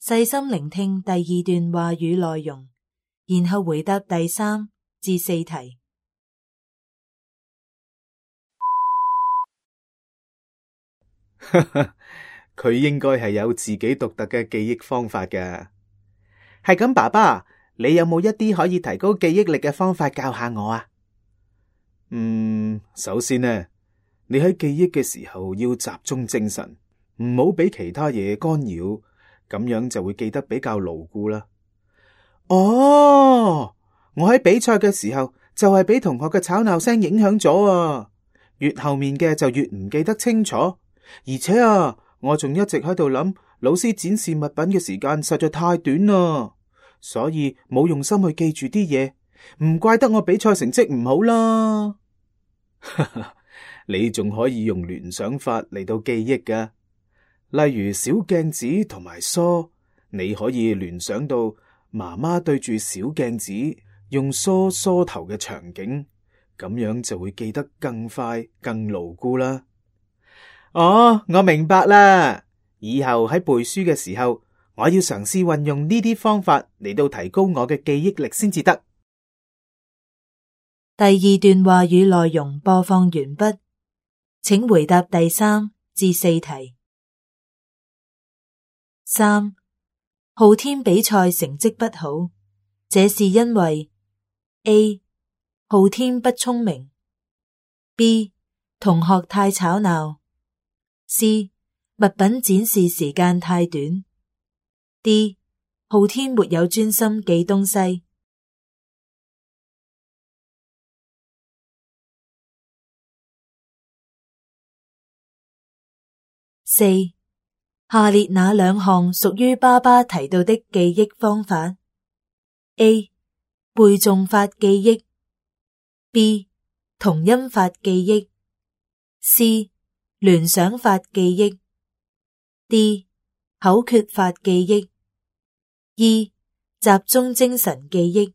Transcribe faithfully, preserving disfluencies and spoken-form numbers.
細心聆聽第二段話語內容，然後回答第三至四題。佢應該係有自己獨特嘅記憶方法㗎。係咁，爸爸，你有冇一啲可以提高記憶力嘅方法教下我啊？嗯，首先呢，你喺記憶嘅時候要集中精神，唔好俾其他嘢干擾，咁樣就會記得比較牢固啦。哦，我喺比賽嘅時候就係俾同學嘅吵鬧聲影響咗啊，越後面嘅就越唔記得清楚，而且啊，我仲一直喺度諗，老師展示物品嘅時間實在太短啦，所以冇用心去記住啲嘢，唔怪得我比賽成績唔好啦。你仲可以用聯想法嚟到記憶㗎，例如小鏡子同埋梳，你可以聯想到媽媽對住小鏡子用梳梳頭嘅場景，咁樣就會記得更快更牢固啦。哦，我明白啦，以後喺背書嘅時候，我要嘗試運用呢啲方法嚟到提高我嘅記憶力先至得。第二段話語內容播放完畢，請回答第三至四題。三，昊天比賽成績不好，這是因為 A. 昊天不聰明， B. 同學太吵鬧， C. 物品展示時間太短， D. 昊天沒有專心記東西。四，下列哪兩項屬於爸爸提到的記憶方法？ A. 背誦法記憶， B. 同音法記憶， C. 聯想法記憶， D. 口訣法記憶， E. 集中精神記憶。